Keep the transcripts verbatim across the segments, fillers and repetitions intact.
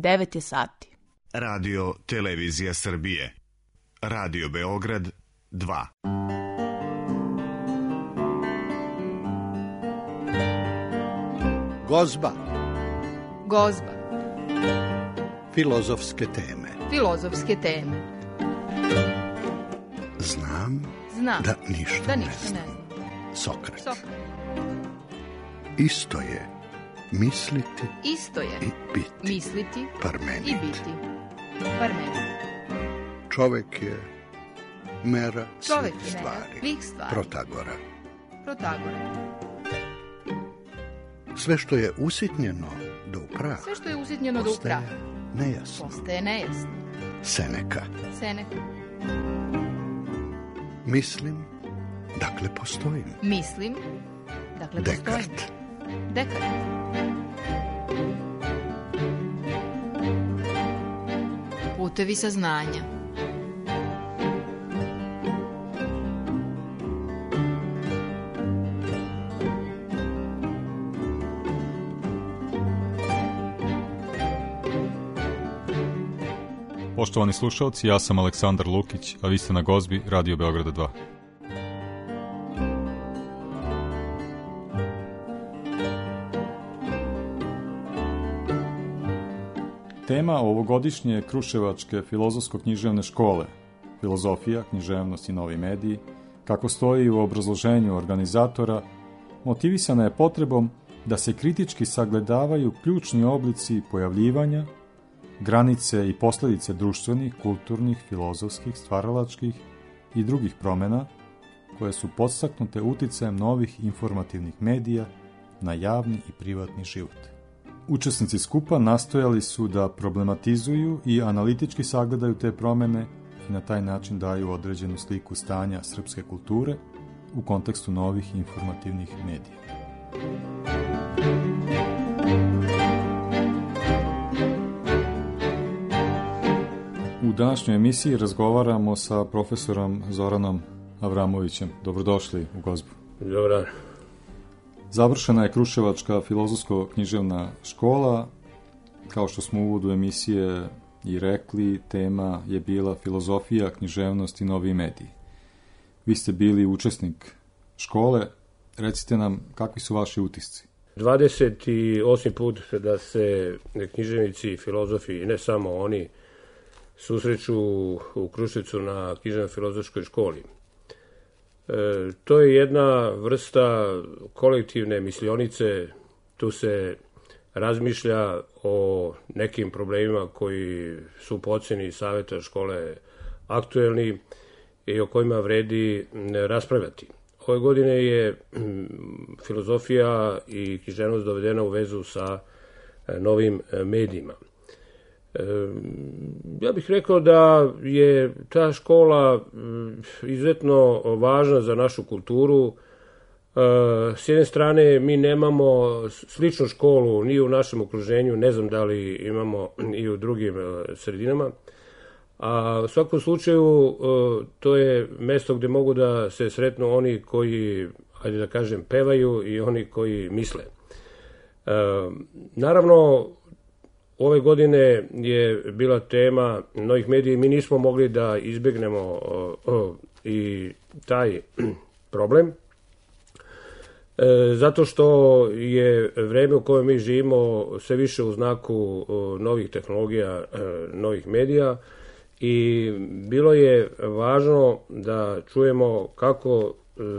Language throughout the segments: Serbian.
devet je sati. Radio Televizija Srbije. Radio Beograd dva. Gozba. Gozba. Filozofske teme. Filozofske teme. Znam, Znam da ništa, da ne, ništa znam. ne znam. Sokrat. Sokrat. Isto je misliti Isto je i biti. misliti Parmenid. i biti. Parmenid. Čovek je mera Čovek svih je stvari. mera svih stvari. Protagora. Protagora. Sve što je usitnjeno do upraha, Sve što je usitnjeno do postaje upraha nejasno. postaje nejasno. Seneka. Seneka. Mislim, dakle postojim. Mislim, dakle Dekart. postojim. Dekart. Putevi saznanja. Poštovani slušalci, ja sam Aleksandar Lukić, a vi ste na Gozbi Radio Beograda dva. Tema ovogodišnje Kruševačke filozofsko-književne škole, filozofija, književnost i novi mediji, kako stoji u obrazloženju organizatora, motivisana je potrebom da se kritički sagledavaju ključni oblici pojavljivanja, granice i posledice društvenih, kulturnih, filozofskih, stvaralačkih i drugih promjena koje su podstaknute uticajem novih informativnih medija na javni i privatni život. Učesnici skupa nastojali su da problematizuju i analitički sagledaju te promjene i na taj način daju određenu sliku stanja srpske kulture u kontekstu novih informativnih medija. U današnjoj emisiji razgovaramo sa profesorom Zoranom Avramovićem. Dobrodošli u Gozbu. Dobar dan. Završena je Kruševačka filozofsko-književna škola. Kao što smo u uvodu emisije i rekli, tema je bila filozofija, književnost i novi mediji. Vi ste bili učesnik škole. Recite nam, kakvi su vaši utisci? dvadeset osmi put da se književnici i filozofi, ne samo oni, susreću u Kruševcu na književno-filozofskoj školi. E, to je jedna vrsta kolektivne mislionice, tu se razmišlja o nekim problemima koji su po oceni savjeta škole aktuelni i o kojima vredi raspravljati. Ove godine je filozofija i književnost dovedena u vezu sa novim medijima. Ja bih rekao da je ta škola izuzetno važna za našu kulturu. S jedne strane, mi nemamo sličnu školu ni u našem okruženju, ne znam da li imamo i u drugim sredinama, a u svakom slučaju to je mesto gdje mogu da se sretnu oni koji, ajde da kažem, pevaju i oni koji misle. Naravno, ove godine je bila tema novih medija i mi nismo mogli da izbjegnemo o, o, i taj problem, e, zato što je vreme u kojem mi živimo sve više u znaku o, novih tehnologija, e, novih medija i bilo je važno da čujemo kako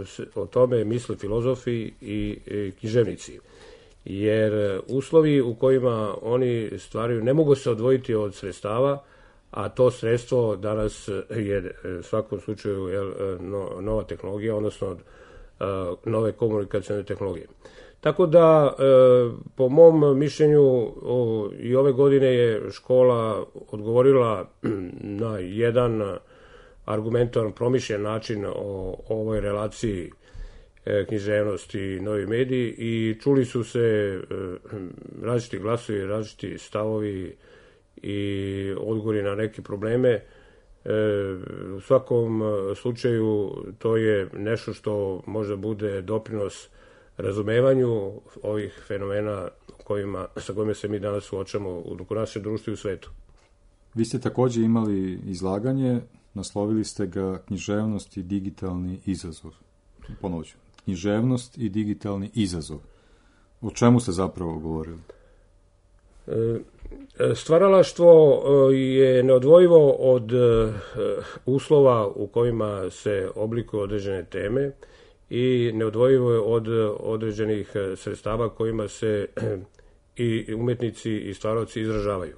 se o tome misle filozofi i, i književnici. Jer uslovi u kojima oni stvaraju ne mogu se odvojiti od sredstava, a to sredstvo danas je u svakom slučaju je nova tehnologija, odnosno nove komunikacijne tehnologije. Tako da, po mom mišljenju, i ove godine je škola odgovorila na jedan argumentovan, promišljen način o ovoj relaciji književnost i novi mediji i čuli su se različiti glasovi, različiti stavovi i odgovori na neke probleme. U svakom slučaju to je nešto što možda bude doprinos razumevanju ovih fenomena kojima, sa kojima se mi danas suočamo u našem društvu i u svetu. Vi ste također imali izlaganje, naslovili ste ga književnost i digitalni izazov. Ponovit ću, književnost i digitalni izazov. O čemu ste zapravo govorili? Stvaralaštvo je neodvojivo od uslova u kojima se oblikuju određene teme i neodvojivo je od određenih sredstava kojima se i umetnici i stvaralci izražavaju.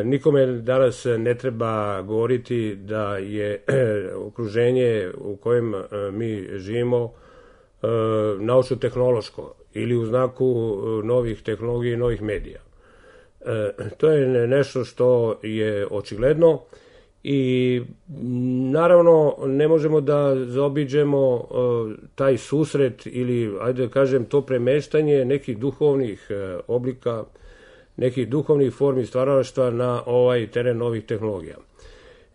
Nikome danas ne treba govoriti da je okruženje u kojem mi živimo naučno-tehnološko ili u znaku novih tehnologija i novih medija. To je nešto što je očigledno i naravno ne možemo da zaobiđemo taj susret ili, ajde da kažem, to premeštanje nekih duhovnih oblika, nekih duhovnih formi stvaralaštva na ovaj teren novih tehnologija.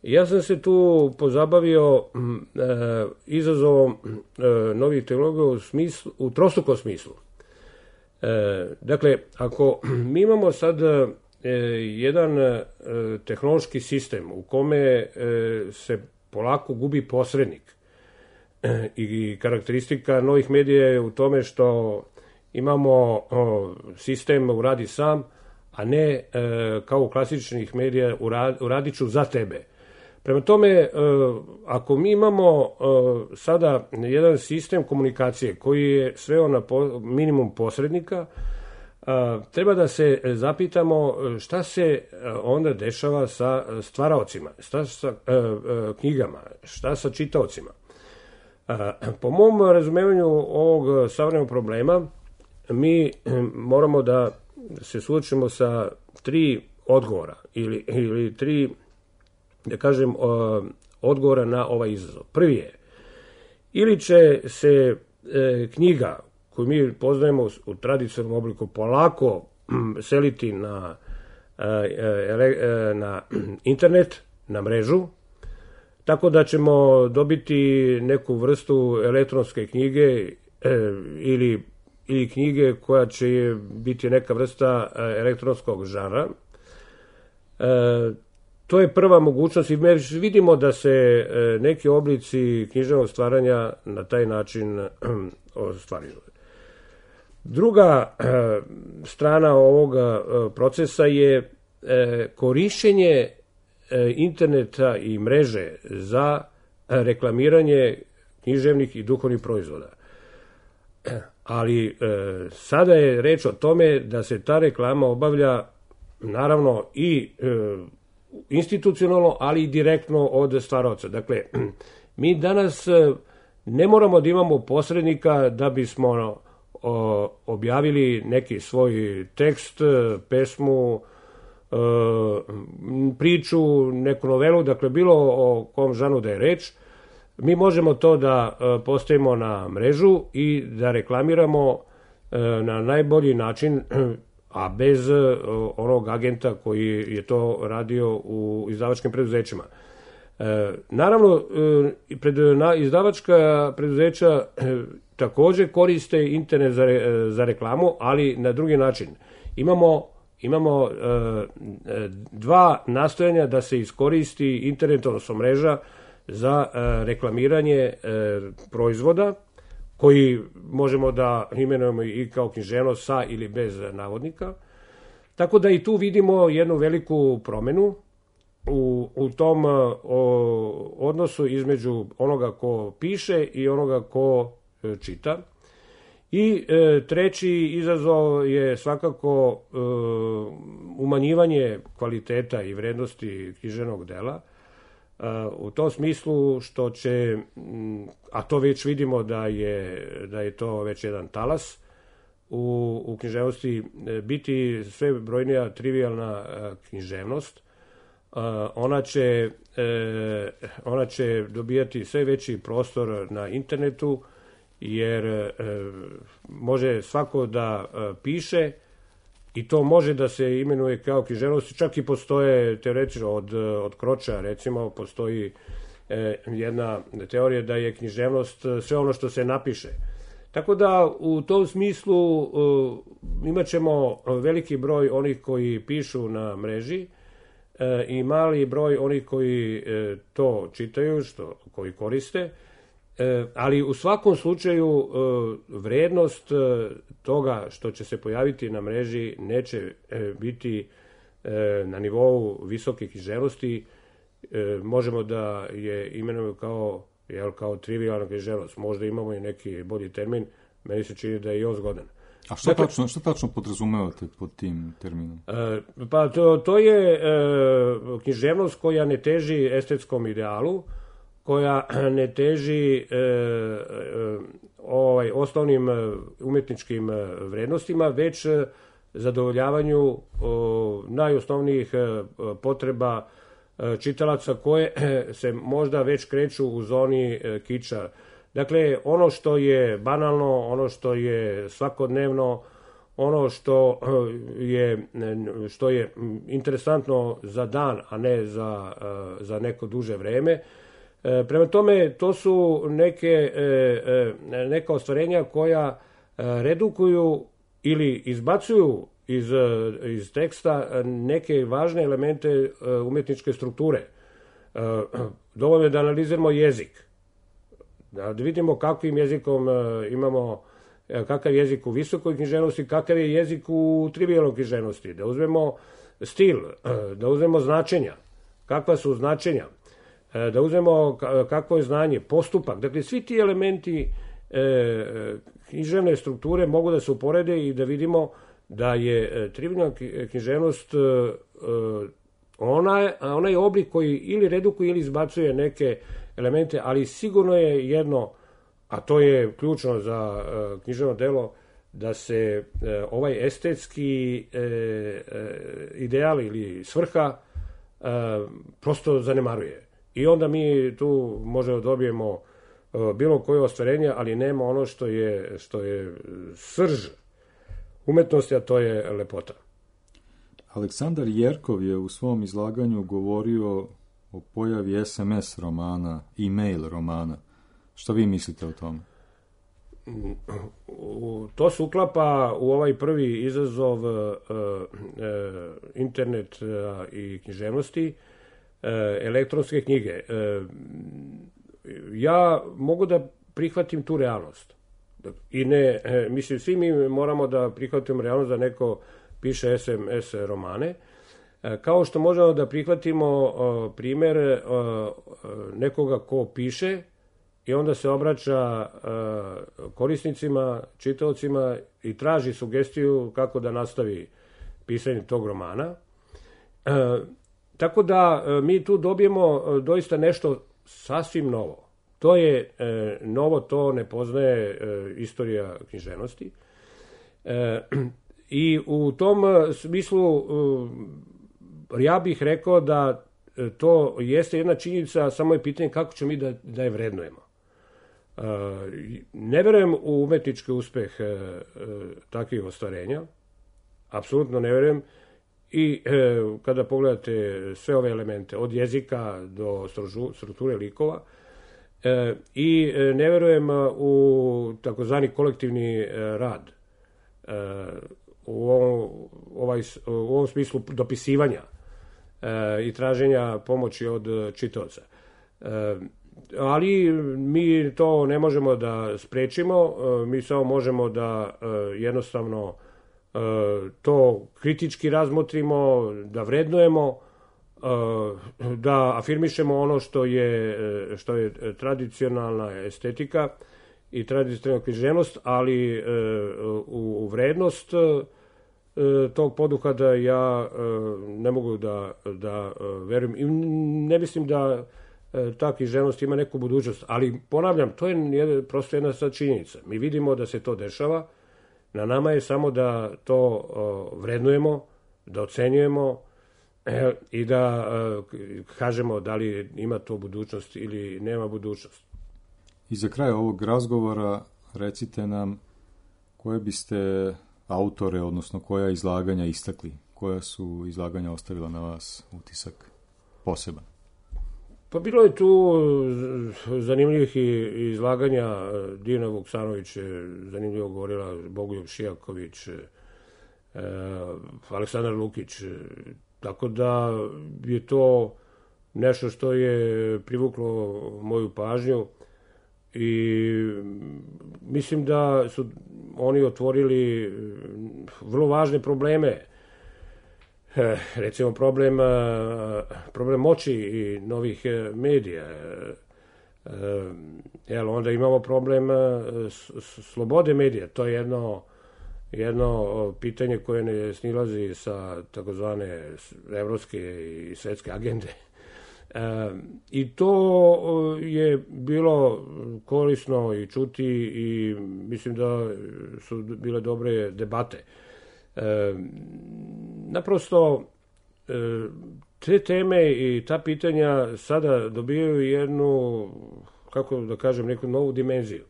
Ja sam se tu pozabavio e, izazovom e, novih tehnologija u, smislu, u trostrukom smislu. E, dakle, ako mi imamo sad e, jedan e, tehnološki sistem u kome e, se polako gubi posrednik e, i karakteristika novih medija je u tome što imamo o, sistem uradi sam, a ne e, kao u klasičnih medija urad, uradit ću za tebe. Prema tome, e, ako mi imamo e, sada jedan sistem komunikacije koji je sveo na po, minimum posrednika, e, treba da se zapitamo šta se onda dešava sa stvaraocima, šta sa e, e, knjigama, šta sa čitaocima. E, po mom razumevanju ovog savremenog problema, mi moramo da se suočimo sa tri odgovora ili, ili tri, da kažem, odgovora na ovaj izazov. Prvi je, ili će se e, knjiga koju mi poznajemo u tradicionalnom obliku polako seliti na, e, na internet, na mrežu, tako da ćemo dobiti neku vrstu elektronske knjige e, ili ili knjige koja će biti neka vrsta elektronskog žara. E, to je prva mogućnost i mi vidimo da se neki oblici književnog stvaranja na taj način ostvaruju. Druga e, strana ovoga procesa je e, korišćenje e, interneta i mreže za reklamiranje književnih i duhovnih proizvoda. Ali e, sada je reč o tome da se ta reklama obavlja naravno i e, institucionalno, ali i direktno od stvaraoca. Dakle, mi danas ne moramo da imamo posrednika da bismo o, objavili neki svoj tekst, pesmu, e, priču, neku novelu, dakle bilo o kom žanu da je reč. Mi možemo to da postavimo na mrežu i da reklamiramo na najbolji način, a bez onog agenta koji je to radio u izdavačkim preduzećima. Naravno, izdavačka preduzeća također koriste internet za, za reklamu, ali na drugi način. Imamo, imamo dva nastojanja da se iskoristi internet, odnosno mreža, za e, reklamiranje e, proizvoda koji možemo da imenujemo i kao književnost sa ili bez navodnika. Tako da i tu vidimo jednu veliku promenu u, u tom o, odnosu između onoga ko piše i onoga ko e, čita. I e, treći izazov je svakako e, umanjivanje kvaliteta i vrednosti književnog dela, u tom smislu što će, a to već vidimo da je, da je to već jedan talas u, u književnosti, biti sve brojnija trivijalna književnost. Ona će, ona će dobijati sve veći prostor na internetu, jer može svako da piše i to može da se imenuje kao književnost. Čak i postoje teoretično od, od Kroča, recimo, postoji e, jedna teorija da je književnost sve ono što se napiše. Tako da u tom smislu uh, imat ćemo veliki broj onih koji pišu na mreži uh, i mali broj onih koji uh, to čitaju, što, koji koriste, uh, ali u svakom slučaju uh, vrednost uh, toga što će se pojaviti na mreži neće uh, biti uh, na nivou visoke književnosti. Uh, možemo da je imenujemo kao jel, kao trivijalna književnost. Možda imamo i neki bolji termin, meni se čini da je i on zgodan. A što, dakle, tačno, što tačno podrazumevate pod tim terminom? E, pa to, to je e, književnost koja ne teži estetskom idealu, koja ne teži e, e, ovaj, osnovnim umetničkim vrednostima, već zadovoljavanju o, najosnovnijih potreba čitalaca koje se možda već kreću u zoni kiča. Dakle, ono što je banalno, ono što je svakodnevno, ono što je, što je interesantno za dan, a ne za, za neko duže vreme. Prema tome, to su neke, neka ostvarenja koja redukuju ili izbacuju iz, iz teksta neke važne elemente umetničke strukture. Dovoljno je da analiziramo jezik, da vidimo kakvim jezikom imamo, kakav jezik u visokoj književnosti, kakav je jezik u trivijalnoj književnosti, da uzmemo stil, da uzmemo značenja, kakva su značenja, da uzmemo kakvo je znanje, postupak. Dakle, svi ti elementi književne strukture mogu da se uporede i da vidimo da je trivijalna književnost ona, onaj oblik koji ili redukuje ili izbacuje neke elemente, ali sigurno je jedno, a to je ključno za književno delo, da se ovaj estetski ideal ili svrha prosto zanemaruje. I onda mi tu možemo dobijemo bilo koje ostvarenje, ali nema ono što je, što je srž umetnosti, a to je lepota. Aleksandar Jerkov je u svom izlaganju govorio o pojavi es em es romana, e-mail romana. Šta vi mislite o tome? To se uklapa u ovaj prvi izazov uh, uh, internet uh, i književnosti, uh, elektronske knjige. Uh, ja mogu da prihvatim tu realnost. I ne, uh, mislim, svi mi moramo da prihvatimo realnost da neko piše es em es romane, uh, kao što možemo da prihvatimo uh, primer uh, nekoga ko piše i onda se obraća uh, korisnicima, čitaocima i traži sugestiju kako da nastavi pisanje tog romana. Uh, tako da uh, mi tu dobijemo uh, doista nešto sasvim novo. To je uh, novo, to ne poznaje uh, istorija književnosti. Uh, I u tom uh, smislu uh, ja bih rekao da uh, to jeste jedna činjenica, samo je pitanje kako ćemo mi da, da je vrednujemo. Uh, ne verujem u umetnički uspeh uh, uh, takvih ostvarenja, apsolutno ne verujem, i uh, kada pogledate sve ove elemente, od jezika do strukture likova, uh, i uh, ne verujem u takozvani kolektivni uh, rad, uh, u, ovom, ovaj, u ovom smislu dopisivanja uh, i traženja pomoći od čitaoca. Uh, Ali mi to ne možemo da sprečimo, mi samo možemo da jednostavno to kritički razmotrimo, da vrednujemo, da afirmišemo ono što je, što je tradicionalna estetika i tradicionalna književnost, ali u vrednost tog poduhvata ja ne mogu da, da verujem i ne mislim da ta književnost ima neku budućnost, ali ponavljam, to je prosto jedna sad činjenica. Mi vidimo da se to dešava, na nama je samo da to vrednujemo, da ocenjujemo e, i da e, kažemo da li ima to budućnost ili nema budućnost. I za kraj ovog razgovora recite nam koje biste autore, odnosno koja izlaganja istakli, koja su izlaganja ostavila na vas utisak poseban. Pa bilo je tu zanimljivih izlaganja. Dijana Vuksanović je zanimljivo govorila, Bogoljub Šijaković, Aleksandar Lukić. Tako da je to nešto što je privuklo moju pažnju i mislim da su oni otvorili vrlo važne probleme. Recimo problem, problem moći i novih medija. Jel, onda imamo problem slobode medija. To je jedno, jedno pitanje koje ne snilazi sa takozvane evropske i svetske agende. I to je bilo korisno i čuti i mislim da su bile dobre debate. E, naprosto e, te teme i ta pitanja sada dobijaju jednu, kako da kažem, neku novu dimenziju.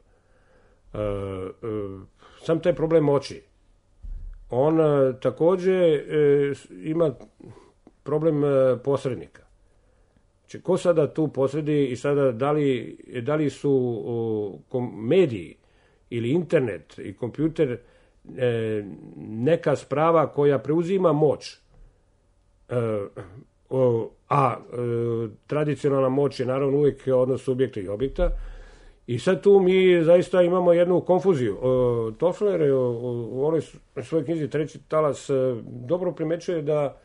E, e, sam taj problem moći, on e, takođe e, ima problem e, posrednika. Znači, ko sada tu posredi i sada da li, da li su o, kom, mediji ili internet i kompjuter E, neka sprava koja preuzima moć, e, o, a e, tradicionalna moć je naravno uvijek odnos subjekta i objekta i sad tu mi zaista imamo jednu konfuziju. E, Toffler je u onoj svojoj knjizi Treći talas e, dobro primećuje da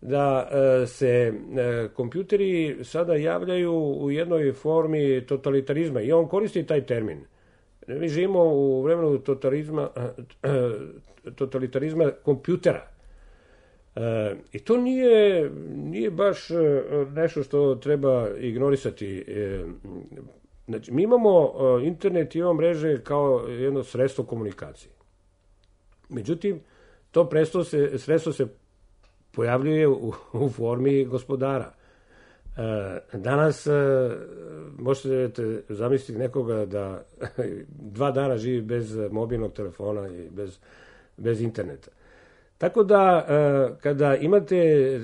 da e, se e, kompjuteri sada javljaju u jednoj formi totalitarizma i on koristi taj termin. Mi živimo u vremenu totalitarizma, totalitarizma kompjutera. E, I to nije, nije baš nešto što treba ignorisati. E, znači, mi imamo internet i imamo mreže kao jedno sredstvo komunikacije. Međutim, to sredstvo se, sredstvo se pojavljuje u, u formi gospodara. Danas možete zamisliti nekoga da dva dana živi bez mobilnog telefona i bez, bez interneta. Tako da kada imate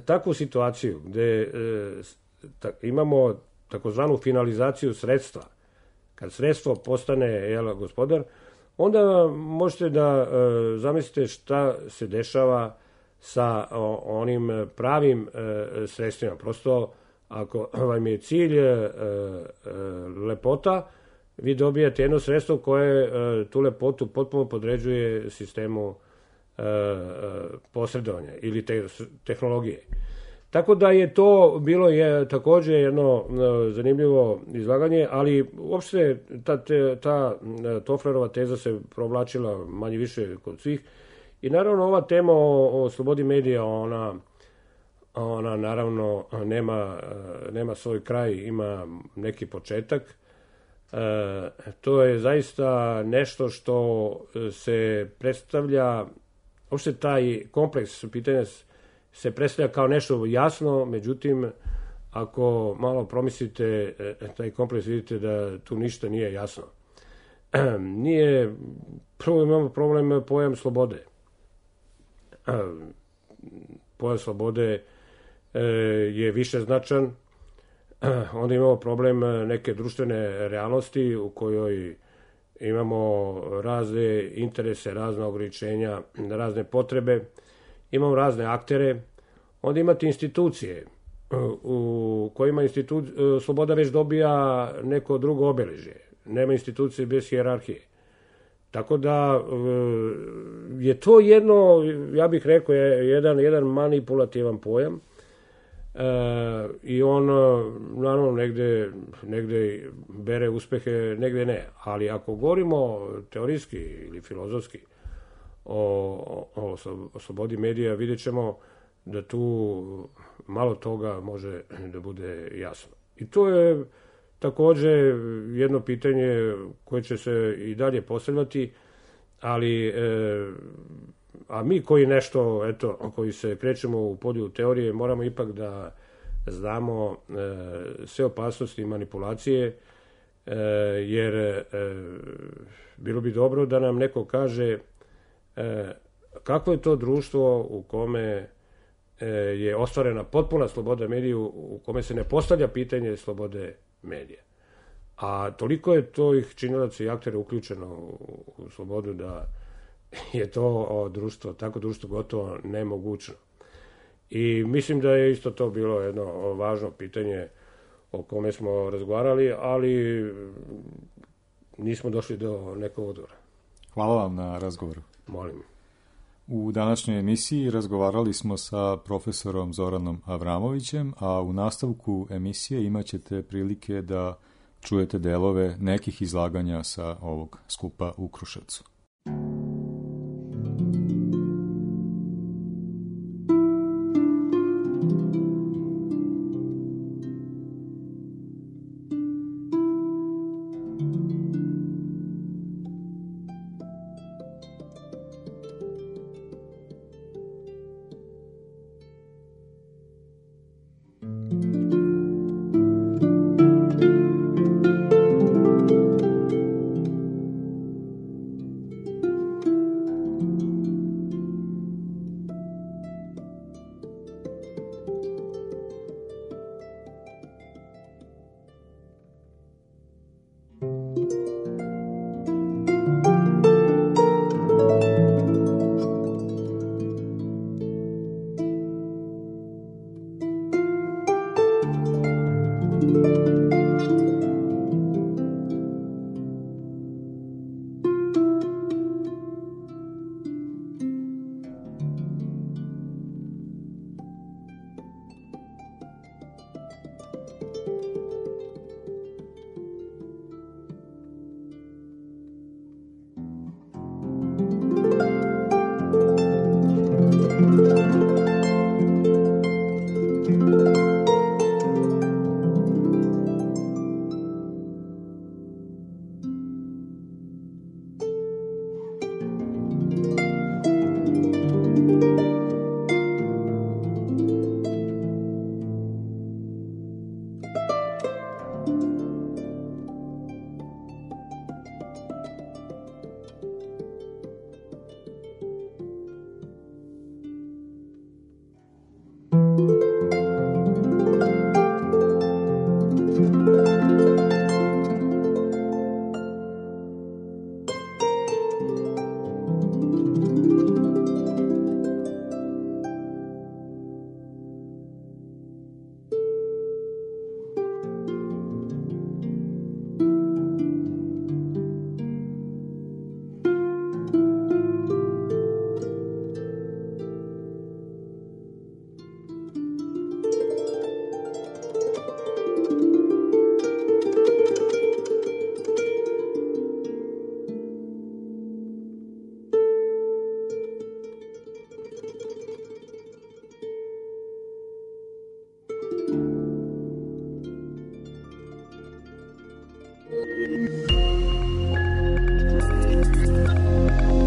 takvu situaciju gde imamo takozvanu finalizaciju sredstva, kad sredstvo postane jel, gospodar, onda možete da zamislite šta se dešava sa onim pravim sredstvima. Prosto, ako vam je cilj lepota, vi dobijate jedno sredstvo koje tu lepotu potpuno podređuje sistemu posredovanja ili te, tehnologije. Tako da je to bilo je takođe jedno zanimljivo izlaganje, ali uopšte ta, ta Tofflerova teza se provlačila manje više kod svih. I naravno ova tema o, o slobodi medija, ona, ona naravno nema, nema svoj kraj, ima neki početak. E, to je zaista nešto što se predstavlja, uopšte taj kompleks pitanja se predstavlja kao nešto jasno, međutim, ako malo promislite taj kompleks, vidite da tu ništa nije jasno. E, nije, prvo imamo problem pojam slobode. Pojam slobode je više značan. Onda imamo problem neke društvene realnosti u kojoj imamo razne interese, razna ograničenja, razne potrebe, imamo razne aktere. Onda imate institucije u kojima institu... sloboda već dobija neko drugo obeležje. Nema institucije bez hijerarhije. Tako da je to jedno, ja bih rekao, jedan, jedan manipulativan pojam e, i on naravno negde, negde bere uspehe, negde ne. Ali ako govorimo teorijski ili filozofski o, o, o slobodi medija, vidjet ćemo da tu malo toga može da bude jasno. I to je takođe jedno pitanje koje će se i dalje postavljati, ali e, a mi koji nešto, eto, koji se krećemo u polju teorije, moramo ipak da znamo e, sve opasnosti manipulacije, e, jer e, bilo bi dobro da nam neko kaže e, kako je to društvo u kome je ostvarena potpuna sloboda mediju u kome se ne postavlja pitanje slobode medija. A toliko je to ih činilaca i aktera uključeno u, u slobodu da je to o, društvo, tako društvo gotovo nemogućno. I mislim da je isto to bilo jedno važno pitanje o kome smo razgovarali, ali nismo došli do nekog odgovora. Hvala vam na razgovoru. Molim. U današnjoj emisiji razgovarali smo sa profesorom Zoranom Avramovićem, a u nastavku emisije imat ćete prilike da čujete delove nekih izlaganja sa ovog skupa u Kruševcu.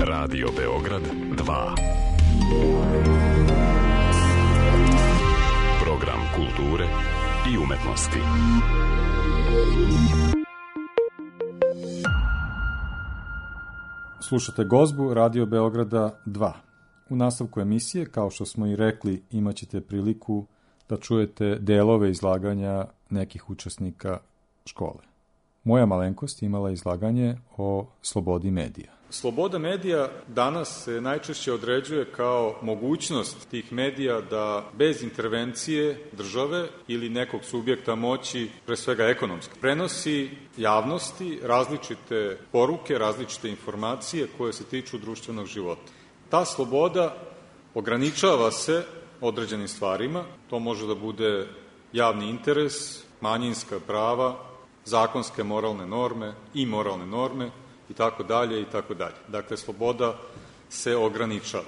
Radio Beograd dva. Program kulture i umetnosti. Slušate gozbu Radio Beograda dva. U nastavku emisije, kao što smo i rekli, imat ćete priliku da čujete delove izlaganja nekih učesnika škole. Moja malenkost imala izlaganje o slobodi medija. Sloboda medija danas se najčešće određuje kao mogućnost tih medija da bez intervencije države ili nekog subjekta moći, pre svega ekonomski, prenosi javnosti različite poruke, različite informacije koje se tiču društvenog života. Ta sloboda ograničava se određenim stvarima, to može da bude javni interes, manjinska prava, zakonske moralne norme i moralne norme i tako dalje i tako dalje. Dakle, sloboda se ograničava.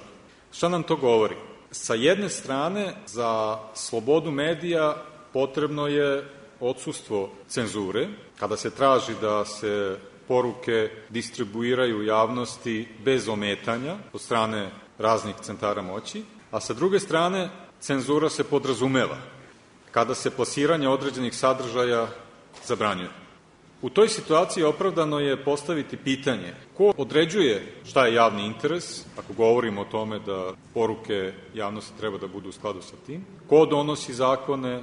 Šta nam to govori? Sa jedne strane, za slobodu medija potrebno je odsustvo cenzure, kada se traži da se poruke distribuiraju javnosti bez ometanja od strane raznih centara moći, a sa druge strane, cenzura se podrazumeva kada se plasiranje određenih sadržaja zabranjuje. U toj situaciji opravdano je postaviti pitanje ko određuje šta je javni interes, ako govorimo o tome da poruke javnosti treba da budu u skladu sa tim, ko donosi zakone,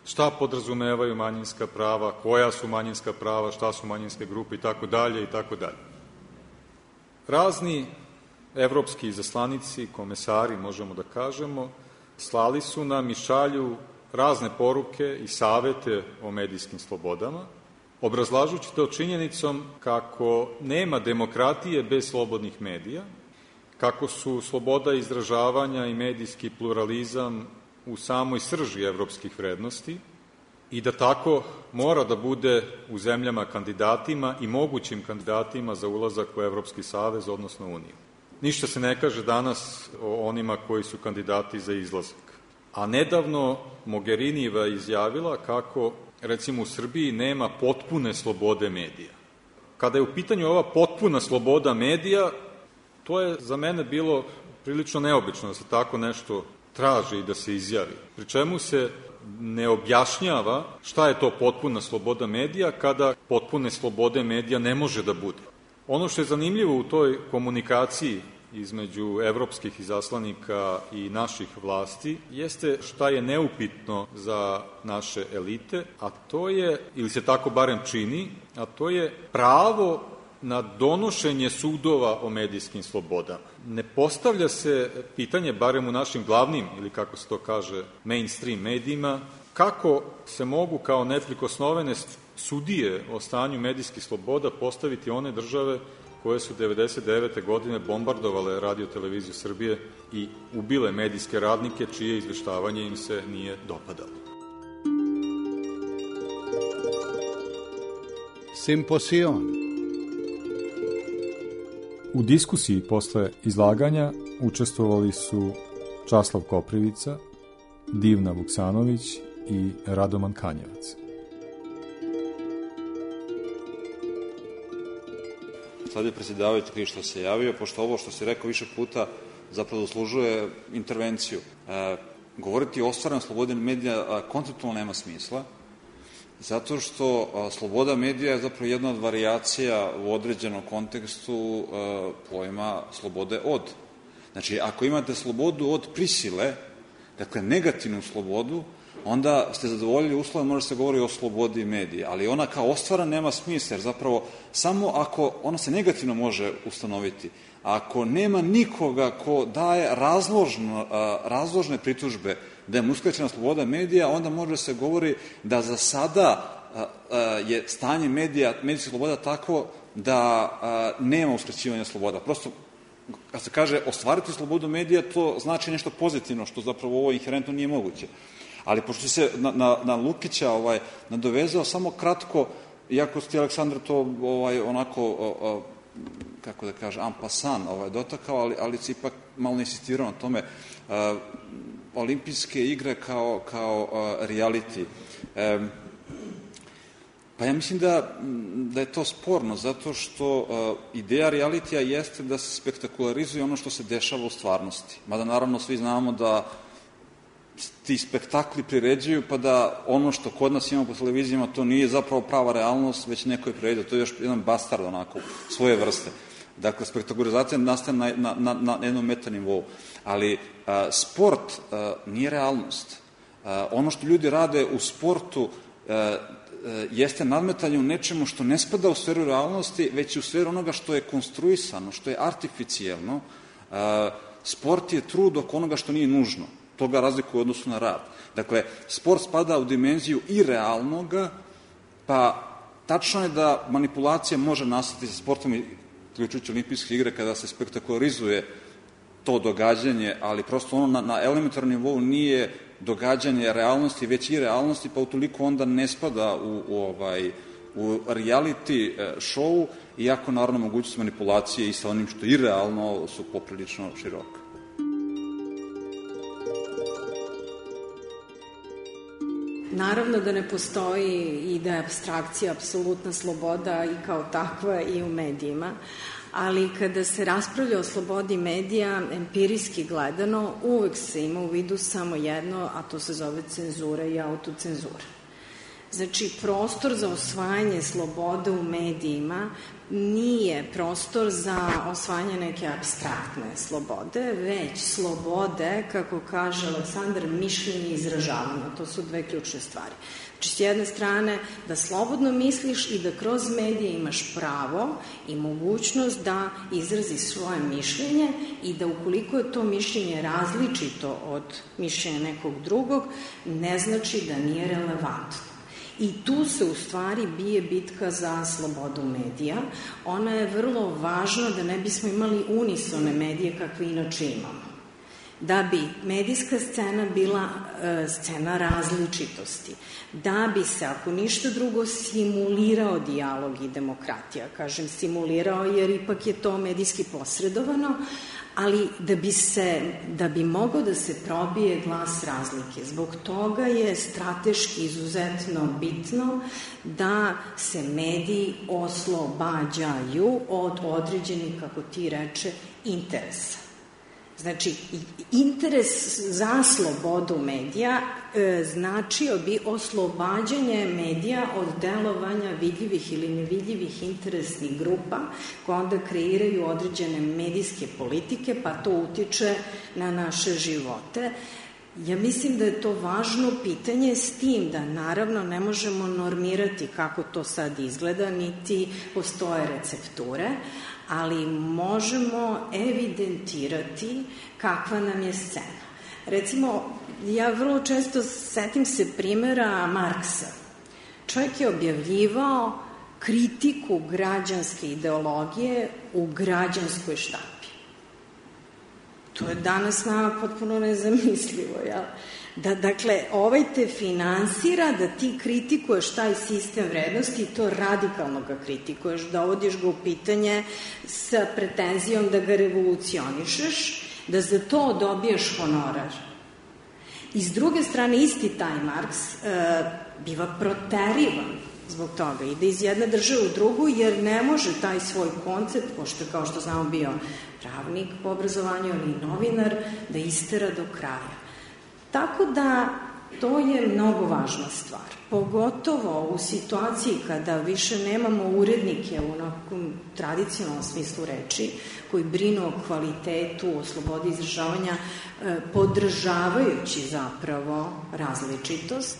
šta podrazumevaju manjinska prava, koja su manjinska prava, šta su manjinske grupe i tako dalje i tako dalje. Razni evropski izaslanici, komesari, možemo da kažemo, slali su nam i šalju razne poruke i savete o medijskim slobodama, obrazlažući to činjenicom kako nema demokratije bez slobodnih medija, kako su sloboda izražavanja i medijski pluralizam u samoj srži evropskih vrednosti i da tako mora da bude u zemljama kandidatima i mogućim kandidatima za ulazak u Evropski savez, odnosno Uniju. Ništa se ne kaže danas o onima koji su kandidati za izlazak. A nedavno Mogherinijeva izjavila kako, recimo, u Srbiji nema potpune slobode medija. Kada je u pitanju ova potpuna sloboda medija, to je za mene bilo prilično neobično da se tako nešto traži i da se izjavi. Pri čemu se ne objašnjava šta je to potpuna sloboda medija kada potpune slobode medija ne može da bude. Ono što je zanimljivo u toj komunikaciji između evropskih izaslanika i naših vlasti jeste šta je neupitno za naše elite, a to je, ili se tako barem čini, a to je pravo na donošenje sudova o medijskim slobodama. Ne postavlja se pitanje, barem u našim glavnim, ili kako se to kaže, mainstream medijima, kako se mogu kao neprikosnovene sudije o stanju medijskih sloboda postaviti one države koje su devedeset devete godine bombardovale Radio-televiziju Srbije i ubile medijske radnike čije izveštavanje im se nije dopadalo. Simposion. U diskusiji posle izlaganja učestvovali su Časlav Koprivica, Divna Vuksanović i Radoman Kanjevac. Sad je predsjedavajući kriv što se javio, pošto ovo što se rekao više puta zapravo zaslužuje intervenciju. E, govoriti o ostvarenju slobode medija konceptualno nema smisla, zato što a, sloboda medija je zapravo jedna od varijacija u određenom kontekstu a, pojma slobode od. Znači, ako imate slobodu od prisile, dakle negativnu slobodu, onda ste zadovoljili uslove, može se govori o slobodi medija, ali ona kao ostvara nema smisla, jer zapravo samo ako ona se negativno može ustanoviti, ako nema nikoga ko daje razložno, razložne pritužbe da je uskraćena sloboda medija, onda može se govori da za sada je stanje medija, medijskih sloboda tako da nema uskraćivanja sloboda. Prosto, kad se kaže ostvariti slobodu medija, to znači nešto pozitivno, što zapravo ovo inherentno nije moguće. Ali pošto se na, na, na Lukića ovaj, nadovezao, samo kratko, iako ste Aleksandar to ovaj, onako, o, o, kako da kaže, en passant ovaj, dotakao, ali, ali se ipak malo insistirao na tome, a, olimpijske igre kao, kao a, reality. E, pa ja mislim da, da je to sporno, zato što a, ideja realitija jeste da se spektakularizuje ono što se dešava u stvarnosti. Mada naravno svi znamo da ti spektakli priređuju, pa da ono što kod nas imamo po televizijama, to nije zapravo prava realnost, već neko je priređao. To je još jedan bastard onako, svoje vrste. Dakle, spektakularizacija nastaje na, na, na, na jednom metanivou. Ali a, sport a, nije realnost. A, ono što ljudi rade u sportu a, a, jeste nadmetanje u nečemu što ne spada u sferu realnosti, već u sferu onoga što je konstruisano, što je artificijelno. A, sport je trud oko onoga što nije nužno. To ga razlikuje u odnosu na rad. Dakle, sport spada u dimenziju i realnoga, pa tačno je da manipulacija može nastati sa sportom, uključujući olimpijske igre, kada se spektakularizuje to događanje, ali prosto ono na, na elementarnom nivou nije događanje realnosti, već i realnosti, pa utoliko onda ne spada u, u, ovaj, u reality show, iako naravno mogućnost manipulacije i sa onim što je irealno su poprilično široke. Naravno da ne postoji i da je apstrakcija apsolutna sloboda i kao takva i u medijima, ali kada se raspravlja o slobodi medija, empirijski gledano, uvek se ima u vidu samo jedno, a to se zove cenzura i autocenzura. Znači, prostor za osvajanje slobode u medijima nije prostor za osvajanje neke apstraktne slobode, već slobode, kako kaže Aleksandar, mišljenja i izražavanja. To su dve ključne stvari. Znači, s jedne strane, da slobodno misliš i da kroz medije imaš pravo i mogućnost da izraziš svoje mišljenje i da ukoliko je to mišljenje različito od mišljenja nekog drugog, ne znači da nije relevantno. I tu se u stvari bije bitka za slobodu medija. Ona je vrlo važna da ne bismo imali unisone medije kakve inače imamo. Da bi medijska scena bila e, scena različitosti, da bi se, ako ništa drugo, simulirao dijalog i demokratija. Kažem simulirao jer ipak je to medijski posredovano, ali da bi se, da bi mogao da se probije glas razlike. Zbog toga je strateški izuzetno bitno da se mediji oslobađaju od određenih, kako ti reče, interesa. Znači, interes za slobodu medija e, značio bi oslobađanje medija od delovanja vidljivih ili nevidljivih interesnih grupa koje onda kreiraju određene medijske politike, pa to utiče na naše živote. Ja mislim da je to važno pitanje, s tim da naravno ne možemo normirati kako to sad izgleda, niti postoje recepture, ali možemo evidentirati kakva nam je scena. Recimo, ja vrlo često setim se primjera Marksa. Čovjek je objavljivao kritiku građanske ideologije u građanskoj štampi. To je danas nama potpuno nezamislivo, jel? Da, dakle, ovaj te finansira da ti kritikuješ taj sistem vrednosti i to radikalno ga kritikuješ, dovodiš ga u pitanje sa pretenzijom da ga revolucionišeš, da za to dobiješ honorar. I s druge strane, isti taj Marks e, biva proterivan zbog toga, ide iz jedne države u drugu, jer ne može taj svoj koncept, pošto je, kao što znamo, bio pravnik po obrazovanju ili novinar, da istera do kraja. Tako da to je mnogo važna stvar, pogotovo u situaciji kada više nemamo urednike u nekom tradicionalnom smislu reči, koji brinu o kvalitetu, o slobodi izražavanja, podržavajući zapravo različitost,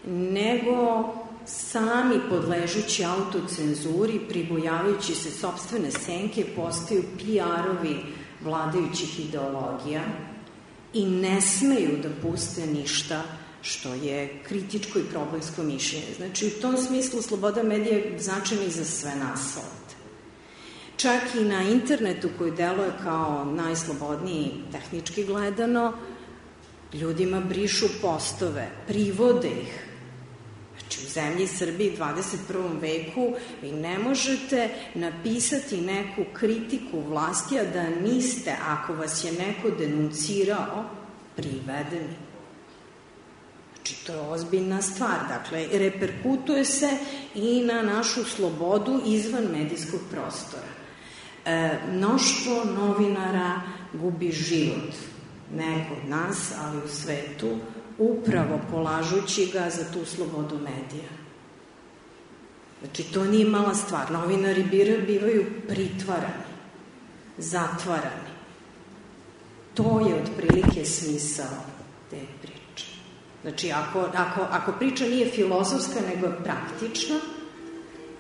nego sami podležući autocenzuri, pribojavajući se sopstvene senke, postaju P R-ovi vladajućih ideologija i ne smeju da puste ništa što je kritičko i problemsko mišljenje. Znači, u tom smislu sloboda medija je značajna i za sve nas ovde. Čak i na internetu, koji deluje kao najslobodniji tehnički gledano, ljudima brišu postove, privode ih. Znači, u zemlji Srbiji u dvadeset prvom veku vi ne možete napisati neku kritiku vlasti, a da niste, ako vas je neko denuncirao, privedeni. Znači, to je ozbiljna stvar. Dakle, reperkutuje se i na našu slobodu izvan medijskog prostora. E, mnoštvo novinara gubi život. Ne kod nas, ali u svetu, upravo polažući ga za tu slobodu medija. Znači, to nije mala stvar. Novinari bivaju pritvarani, zatvarani. To je otprilike smisao te priče. Znači, ako, ako, ako priča nije filozofska, nego je praktična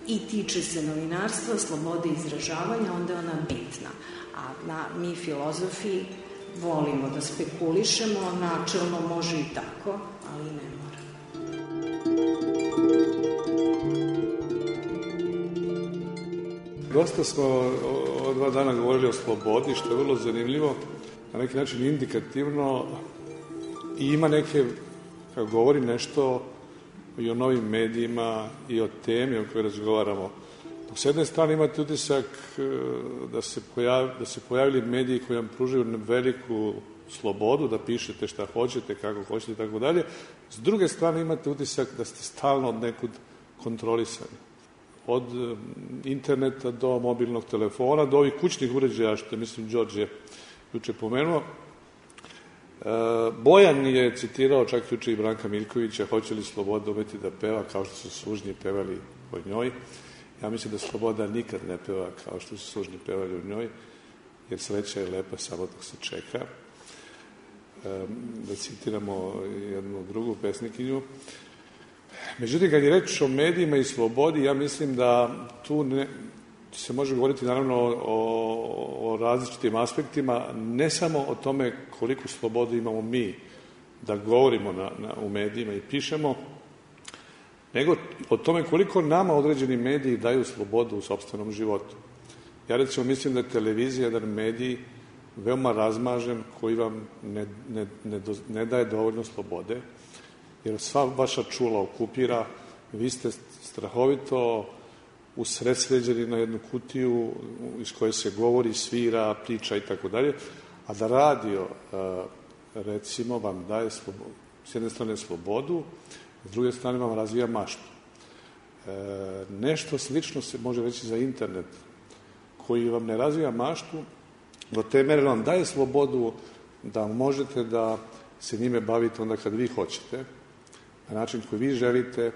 i tiče se novinarstva, slobode izražavanja, onda je ona bitna. A na, mi filozofi volimo da spekulišemo, načelno može i tako, ali ne mora. Dosta smo o dva dana govorili o slobodi, što je vrlo zanimljivo, na neki način indikativno i ima neke, kako govori nešto i o novim medijima i o temi o kojoj razgovaramo. S jedne strane imate utisak da se, pojav, da se pojavili mediji koji vam pružaju veliku slobodu, da pišete šta hoćete, kako hoćete i tako dalje. S druge strane imate utisak da ste stalno od nekud kontrolisani. Od interneta do mobilnog telefona, do ovih kućnih uređaja, što je, mislim, Đorđe juče pomenuo. Bojan je citirao čak juče i Branka Miljkovića, hoće li sloboda umeti da peva kao što su sužnji pevali o njoj. Ja mislim da sloboda nikad ne peva kao što su sužnji pevali o njoj, jer sreća je lepa samo dok se čeka. Da citiramo jednu drugu pesnikinju. Međutim, kad je reč o medijima i slobodi, ja mislim da tu ne, se može govoriti naravno o, o različitim aspektima, ne samo o tome koliko slobodu imamo mi da govorimo na, na, u medijima i pišemo, nego o tome koliko nama određeni mediji daju slobodu u sopstvenom životu. Ja recimo mislim da je televizija jedan medij veoma razmažen koji vam ne, ne, ne, do, ne daje dovoljno slobode, jer sva vaša čula okupira, vi ste strahovito usredsređeni na jednu kutiju iz koje se govori, svira, priča i tako dalje, a da radio, recimo, vam daje slobodu, s jedne strane slobodu, s druge strane vam razvija maštu. Nešto slično se može reći za internet, koji vam ne razvija maštu, do te mere vam daje slobodu da možete da se njime bavite onda kad vi hoćete, na način koji vi želite,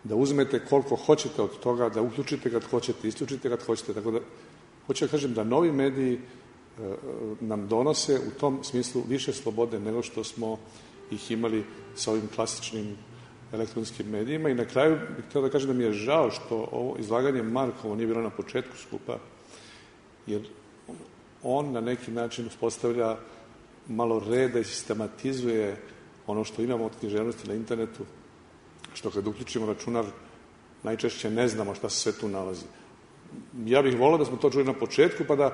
da uzmete koliko hoćete od toga, da uključite kad hoćete, isključite kad hoćete, tako da, hoću da kažem da novi mediji e, nam donose u tom smislu više slobode nego što smo ih imali sa ovim klasičnim elektronskim medijima. I na kraju bih htio da kažem da mi je žao što ovo izlaganje Markovo nije bilo na početku skupa, jer on na neki način uspostavlja malo reda i sistematizuje ono što imamo od književnosti na internetu, što kad uključimo računar, najčešće ne znamo šta se sve tu nalazi. Ja bih volao da smo to čuli na početku, pa da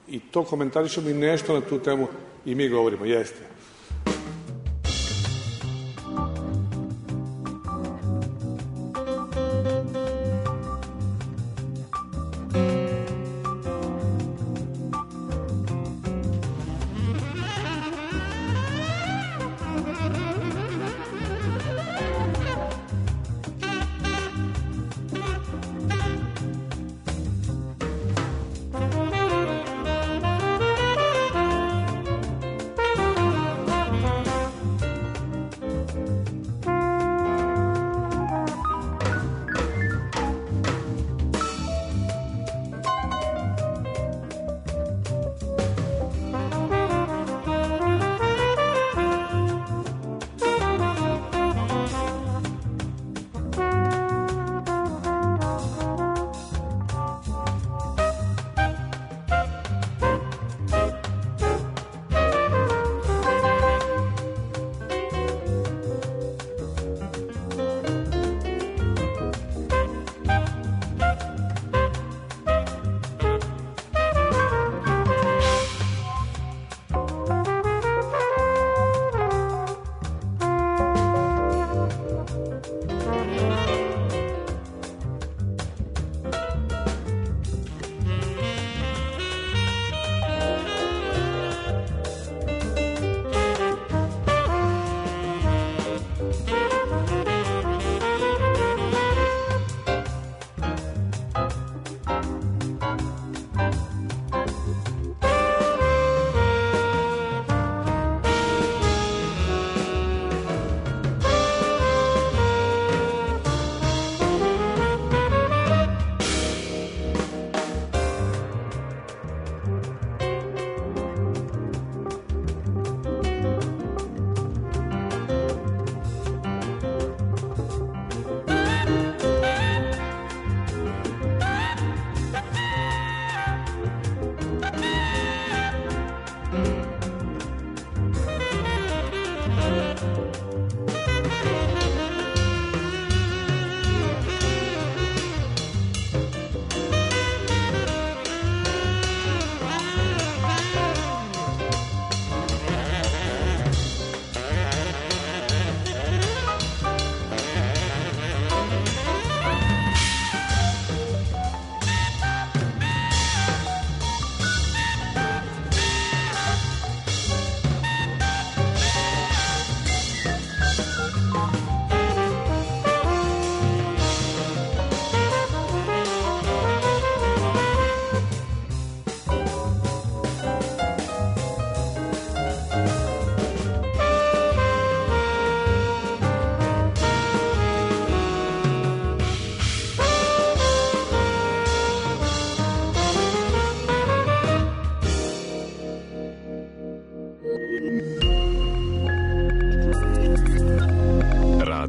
i to komentarišemo i nešto na tu temu i mi govorimo. Jeste.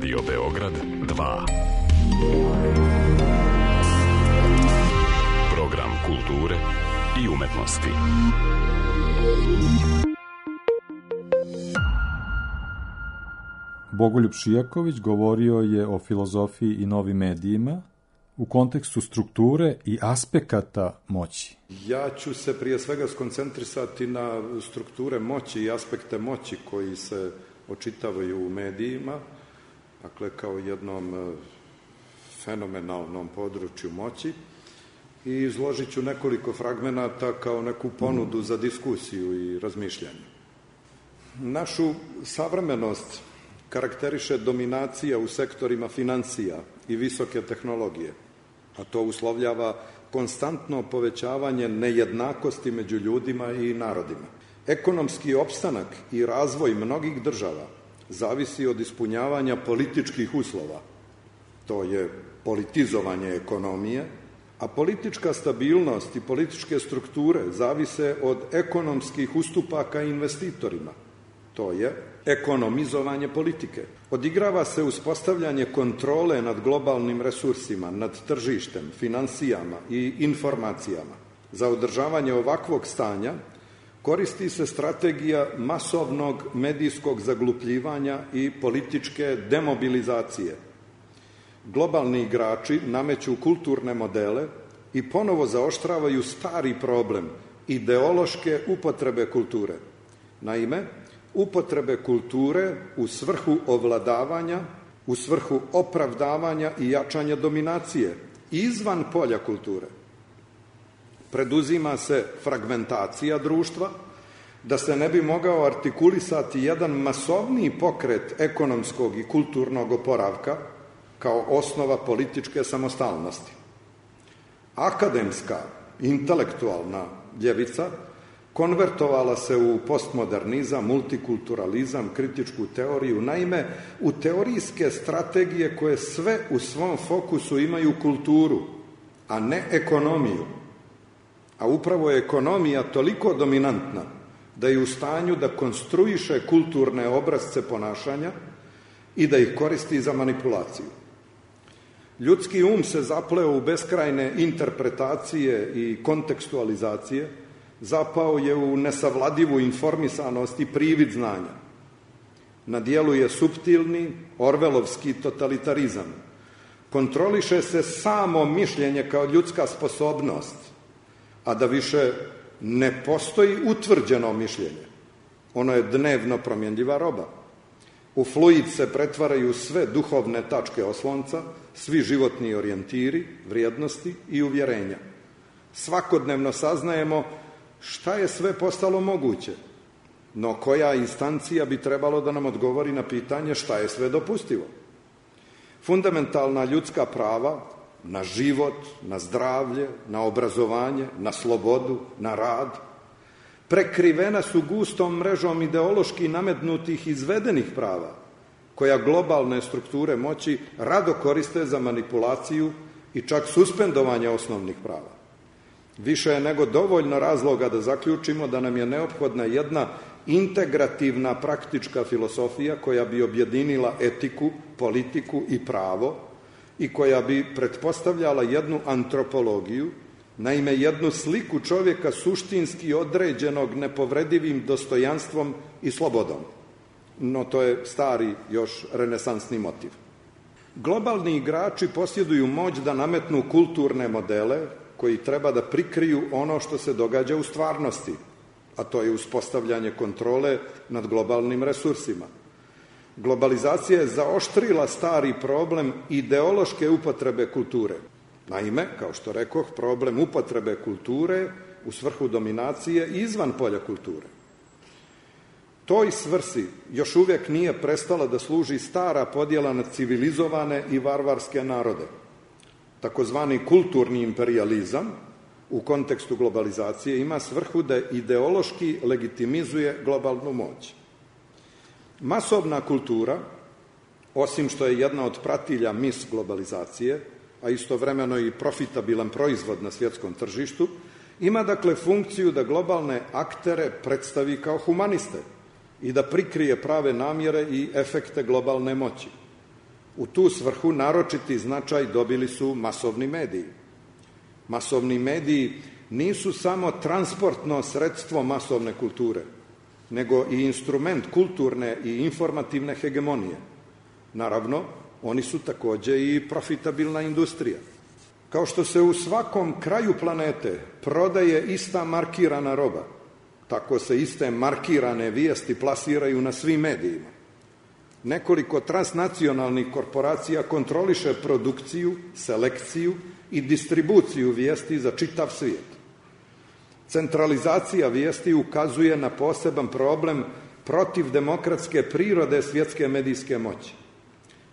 Radio Beograd dva. Program kulture i umetnosti. Bogoljub Šijaković govorio je o filozofiji i novim medijima u kontekstu strukture i aspekata moći. Ja ću se prije svega skoncentrisati na strukture moći i aspekte moći koji se očitavaju u medijima, dakle kao jednom fenomenalnom području moći, i izložit ću nekoliko fragmenata kao neku ponudu za diskusiju i razmišljanje. Našu savremenost karakteriše dominacija u sektorima financija i visoke tehnologije, a to uslovljava konstantno povećavanje nejednakosti među ljudima i narodima. Ekonomski opstanak i razvoj mnogih država zavisi od ispunjavanja političkih uslova, to je politizovanje ekonomije, a politička stabilnost i političke strukture zavise od ekonomskih ustupaka investitorima, to je ekonomizovanje politike. Odigrava se uspostavljanje kontrole nad globalnim resursima, nad tržištem, finansijama i informacijama. Za održavanje ovakvog stanja koristi se strategija masovnog medijskog zaglupljivanja i političke demobilizacije. Globalni igrači nameću kulturne modele i ponovo zaoštravaju stari problem ideološke upotrebe kulture. Naime, upotrebe kulture u svrhu ovladavanja, u svrhu opravdavanja i jačanja dominacije izvan polja kulture. Preduzima se fragmentacija društva, da se ne bi mogao artikulisati jedan masovniji pokret ekonomskog i kulturnog oporavka kao osnova političke samostalnosti. Akademska, intelektualna ljevica konvertovala se u postmodernizam, multikulturalizam, kritičku teoriju, naime u teorijske strategije koje sve u svom fokusu imaju kulturu, a ne ekonomiju. A upravo je ekonomija toliko dominantna da je u stanju da konstruiše kulturne obrazce ponašanja i da ih koristi za manipulaciju. Ljudski um se zapleo u beskrajne interpretacije i kontekstualizacije, zapao je u nesavladivu informisanost i privid znanja. Na dijelu je suptilni, orvelovski totalitarizam. Kontroliše se samo mišljenje kao ljudska sposobnost, a da više ne postoji utvrđeno mišljenje. Ono je dnevno promjenljiva roba. U fluid se pretvaraju sve duhovne tačke oslonca, svi životni orijentiri, vrijednosti i uvjerenja. Svakodnevno saznajemo šta je sve postalo moguće, no koja instancija bi trebalo da nam odgovori na pitanje šta je sve dopustivo. Fundamentalna ljudska prava na život, na zdravlje, na obrazovanje, na slobodu, na rad, prekrivena su gustom mrežom ideološki nametnutih izvedenih prava, koja globalne strukture moći rado koriste za manipulaciju i čak suspendovanje osnovnih prava. Više je nego dovoljno razloga da zaključimo da nam je neophodna jedna integrativna praktička filosofija koja bi objedinila etiku, politiku i pravo i koja bi pretpostavljala jednu antropologiju, naime jednu sliku čovjeka suštinski određenog nepovredivim dostojanstvom i slobodom. No to je stari, još renesansni motiv. Globalni igrači posjeduju moć da nametnu kulturne modele koji treba da prikriju ono što se događa u stvarnosti, a to je uspostavljanje kontrole nad globalnim resursima. Globalizacija je zaoštrila stari problem ideološke upotrebe kulture. Naime, kao što rekoh, problem upotrebe kulture u svrhu dominacije izvan polja kulture. Toj svrsi još uvijek nije prestala da služi stara podjela na civilizovane i varvarske narode. Takozvani kulturni imperijalizam u kontekstu globalizacije ima svrhu da ideološki legitimizuje globalnu moć. Masovna kultura, osim što je jedna od pratilja mis globalizacije, a istovremeno i profitabilan proizvod na svjetskom tržištu, ima dakle funkciju da globalne aktere predstavi kao humaniste i da prikrije prave namjere i efekte globalne moći. U tu svrhu naročiti značaj dobili su masovni mediji. Masovni mediji nisu samo transportno sredstvo masovne kulture, nego i instrument kulturne i informativne hegemonije. Naravno, oni su takođe i profitabilna industrija. Kao što se u svakom kraju planete prodaje ista markirana roba, tako se iste markirane vijesti plasiraju na svim medijima. Nekoliko transnacionalnih korporacija kontroliše produkciju, selekciju i distribuciju vijesti za čitav svijet. Centralizacija vijesti ukazuje na poseban problem protiv demokratske prirode svjetske medijske moći.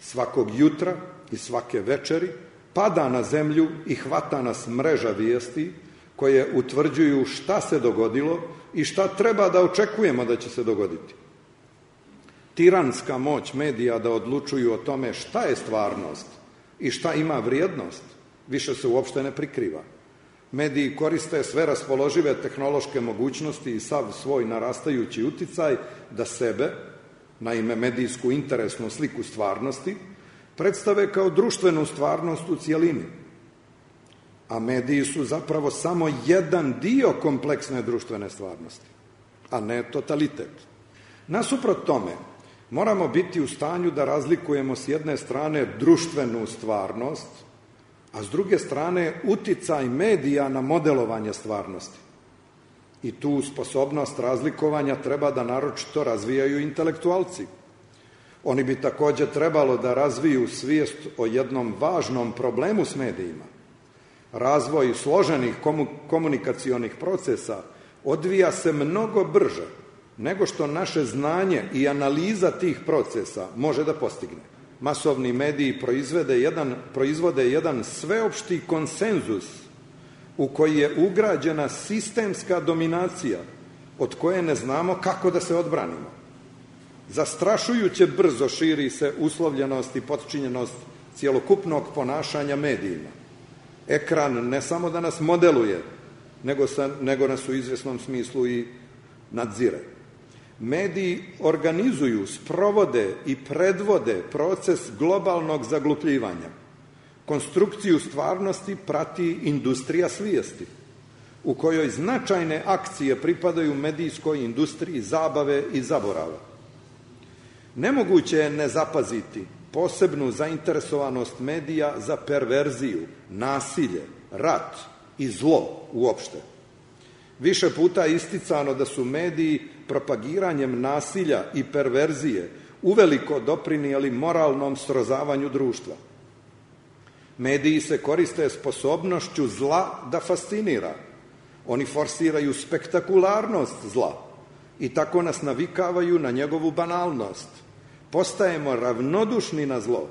Svakog jutra i svake večeri pada na zemlju i hvata nas mreža vijesti koje utvrđuju šta se dogodilo i šta treba da očekujemo da će se dogoditi. Tiranska moć medija da odlučuju o tome šta je stvarnost i šta ima vrijednost, više se uopšte ne prikriva. Mediji koriste sve raspoložive tehnološke mogućnosti i sav svoj narastajući uticaj da sebe, naime medijsku interesnu sliku stvarnosti, predstave kao društvenu stvarnost u cijelini. A mediji su zapravo samo jedan dio kompleksne društvene stvarnosti, a ne totalitet. Nasuprot tome, moramo biti u stanju da razlikujemo s jedne strane društvenu stvarnost, a s druge strane uticaj medija na modelovanje stvarnosti. I tu sposobnost razlikovanja treba da naročito razvijaju intelektualci. Oni bi takođe trebalo da razviju svijest o jednom važnom problemu s medijima. Razvoj složenih komunikacionih procesa odvija se mnogo brže nego što naše znanje i analiza tih procesa može da postigne. Masovni mediji proizvode jedan, proizvode jedan sveopšti konsenzus u koji je ugrađena sistemska dominacija od koje ne znamo kako da se odbranimo. Zastrašujuće brzo širi se uslovljenost i potčinjenost cjelokupnog ponašanja medijima. Ekran ne samo da nas modeluje, nego, sa, nego nas u izvjesnom smislu i nadzire. Mediji organizuju, sprovode i predvode proces globalnog zaglupljivanja. Konstrukciju stvarnosti prati industrija svijesti, u kojoj značajne akcije pripadaju medijskoj industriji zabave i zaborava. Nemoguće je ne zapaziti posebnu zainteresovanost medija za perverziju, nasilje, rat i zlo uopšte. Više puta je isticano da su mediji propagiranjem nasilja i perverzije uveliko doprinijeli moralnom srozavanju društva. Mediji se koriste sposobnošću zla da fascinira. Oni forsiraju spektakularnost zla i tako nas navikavaju na njegovu banalnost. Postajemo ravnodušni na zlo,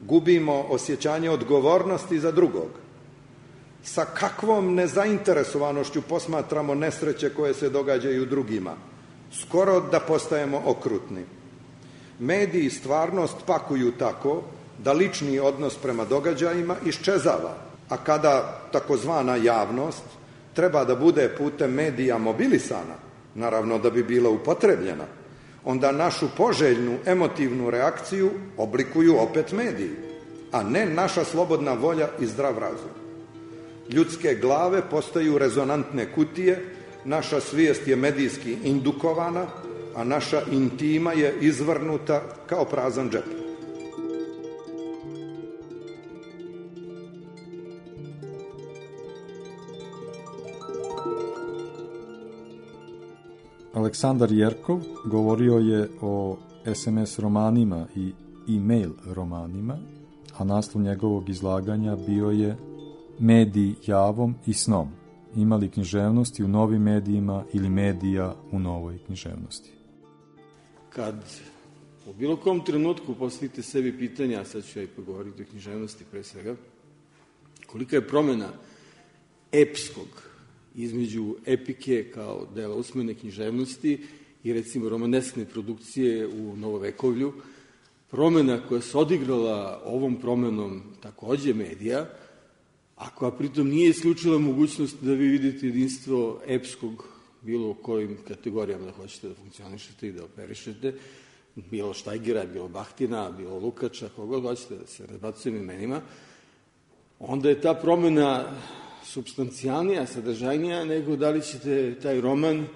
gubimo osjećanje odgovornosti za drugog. Sa kakvom nezainteresovanošću posmatramo nesreće koje se događaju drugima, skoro da postajemo okrutni. Mediji stvarnost pakuju tako da lični odnos prema događajima iščezava, a kada takozvana javnost treba da bude putem medija mobilisana, naravno da bi bila upotrebljena, onda našu poželjnu emotivnu reakciju oblikuju opet mediji, a ne naša slobodna volja i zdrav razum. Ljudske glave postaju rezonantne kutije, naša svijest je medijski indukovana, a naša intima je izvrnuta kao prazan džep. Aleksandar Jerkov govorio je o es em es romanima i e-mail romanima, a naslov njegovog izlaganja bio je Mediji javom i snom. Ima li književnosti u novim medijima ili medija u novoj književnosti? Kad u bilo kom trenutku postavite sebi pitanja, sad ću ja i pogovoriti o književnosti pre svega, kolika je promjena epskog između epike kao dela usmene književnosti i recimo romaneskne produkcije u novovekovlju, promjena koja se odigrala ovom promenom takođe medija, a koja pritom nije isključila mogućnost da vi vidite jedinstvo epskog bilo u kojim kategorijama da hoćete da funkcionišete i da operišete, bilo Štajgera, bilo Bahtina, bilo Lukača, koga hoćete da se razbacujem imenima, onda je ta promena substancijalnija, sadržajnija, nego da li ćete taj roman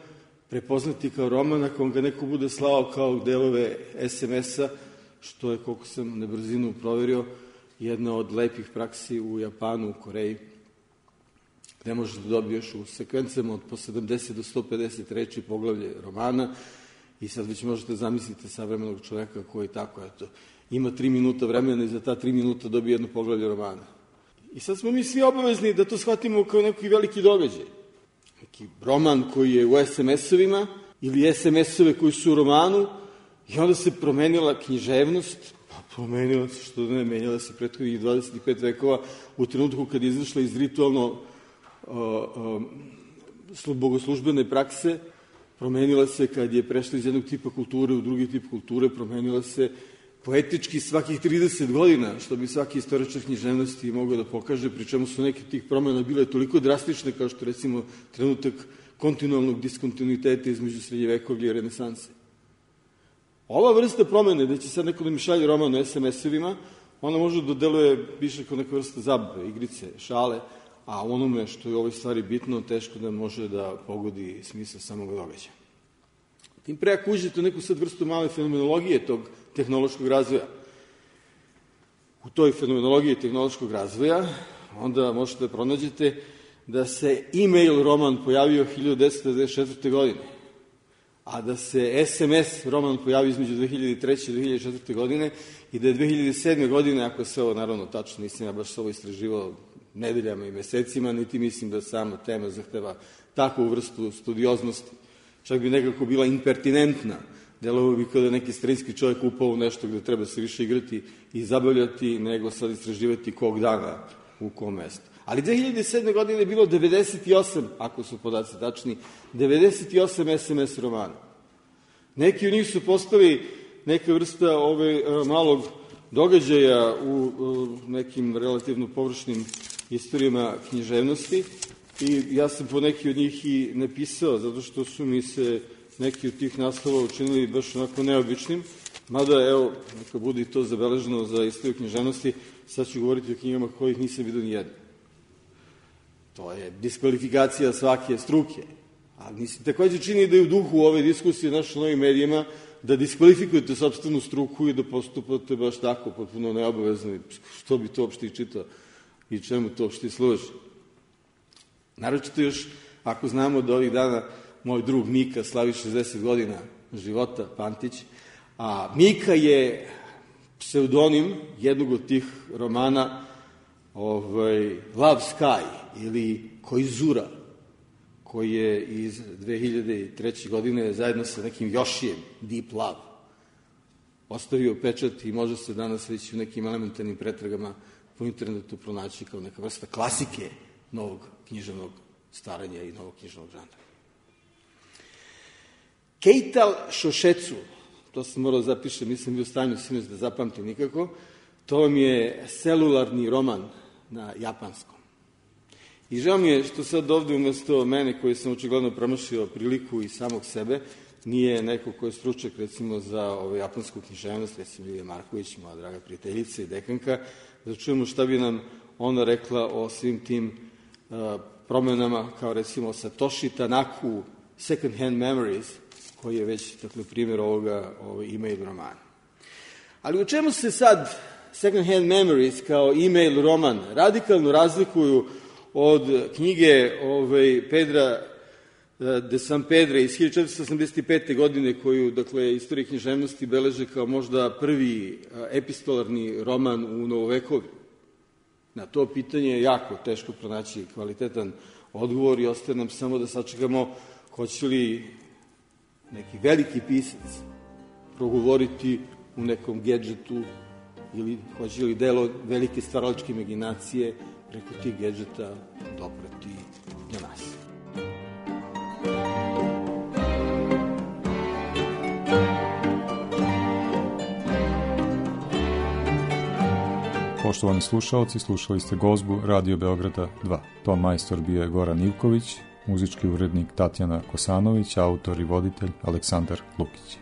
prepoznati kao roman ako ga neko bude slao kao delove es em es-a, što je, koliko sam na brzinu proverio, jedna od lepih praksi u Japanu, u Koreji, gde možeš da dobiješ u sekvencama od po sedamdeset do sto pedeset reči poglavlje romana i sad već možete zamisliti savremenog čoveka koji tako, eto, ima tri minuta vremena i za ta tri minuta dobije jedno poglavlje romana. I sad smo mi svi obavezni da to shvatimo kao neki veliki događaj. Neki roman koji je u es em es-ovima ili es em es-ove koji su u romanu i onda se promenila književnost, pa promenila se, što ne, menjala se prethodnih dvadeset pet vekova u trenutku kad je izašla iz ritualno uh, uh, bogoslužbene prakse, promenila se kad je prešla iz jednog tipa kulture u drugi tip kulture, promenila se poetički svakih trideset godina, što bi svaki istoričar književnosti mogao da pokaže, pri čemu su neke tih promjena bile toliko drastične kao što recimo trenutak kontinualnog diskontinuiteta između srednjevekovlja i renesanse. Ova vrsta promene, da će sad neko da mi šalje roman o es em es-ovima, ona može da deluje više kao neka vrsta zabave, igrice, šale, a onome što je u ovoj stvari bitno, teško da može da pogodi smisao samog događaja. Tim pre ako uđete u neku sad vrstu male fenomenologije tog tehnološkog razvoja. U toj fenomenologiji tehnološkog razvoja onda možete da pronađete da se e-mail roman pojavio hiljadu devetsto devedeset četvrte. godine, a da se es em es roman pojavio između dve hiljade treće i dve hiljade četvrte. godine i da je dve hiljade sedme. godine, ako se ovo naravno tačno, nisam ja baš ovo istraživao nedeljama i mesecima, niti mislim da sama tema zahteva takvu vrstu studioznosti. Čak bi nekako bila impertinentna. Delovo bi kao da neki starinski čovjek upao u nešto gde treba se više igrati i zabavljati, nego sad istraživati kog dana u kom mestu. Ali dve hiljade sedme. godine je bilo devedeset osam, ako su podaci tačni, devedeset osam es em es romana. Neki od njih su postali neka vrsta ove malog događaja u nekim relativno površnim istorijama književnosti i ja sam po neki od njih i napisao, zato što su mi se neki od tih naslova učinili baš onako neobičnim, mada, evo, neka bude i to zabeleženo za istoriju književnosti, sad ću govoriti o knjigama kojih nisam vidio ni jedno. To je diskvalifikacija svake struke. Ali mi se takođe čini da je u duhu ove diskusije naših novim medijima da diskvalifikujete sopstvenu struku i da postupate baš tako, potpuno neobavezno. Što bi to uopšte i čitao i čemu to uopšte služi? Naročito još, ako znamo da ovih dana moj drug Mika slavi šezdeset godina života, Pantić, a Mika je pseudonim jednog od tih romana ovaj, Love Sky ili Koizura, koji je iz dve hiljade treće. godine zajedno sa nekim Jošijem, Deep Love, ostavio pečat i može se danas već u nekim elementarnim pretragama po internetu pronaći kao neka vrsta klasike novog književnog staranja i novog književnog žanra. Keital Šošecu, to sam morao zapišem, nisam bio u stanju sinoć da zapamtim nikako, to vam je celularni roman na japanskom. I žao mi je što sad ovde umesto mene, koji sam očigledno promašio priliku i samog sebe, nije neko ko je stručak, recimo, za ovaj, japansku književnost, recimo Ilija Marković, moja draga prijateljica i dekanka, da čujemo šta bi nam ona rekla o svim tim uh, promenama, kao recimo Satoshi Tanaku, Second Hand Memories, koji je već, dakle, primjer ovoga ovaj, e-mail romana. Ali u čemu se sad Second Hand Memories kao e-mail roman radikalno razlikuju od knjige ovaj, Pedra de San Pedre iz hiljadu četiristo osamdeset pete. godine, koju, dakle, istorija književnosti beleže kao možda prvi epistolarni roman u novovekovju. Na to pitanje je jako teško pronaći kvalitetan odgovor i ostaje nam samo da sačekamo hoće li neki veliki pisac progovoriti u nekom gedžetu ili hoće li delo velike stvaralačke imaginacije preko tih gedžeta doprati do nas. Poštovani slušalci, slušali ste gozbu Radio Beograda dva. Ton majstor bio je Goran Ivković, muzički urednik Tatjana Kosanović, autor i voditelj Aleksandar Lukić.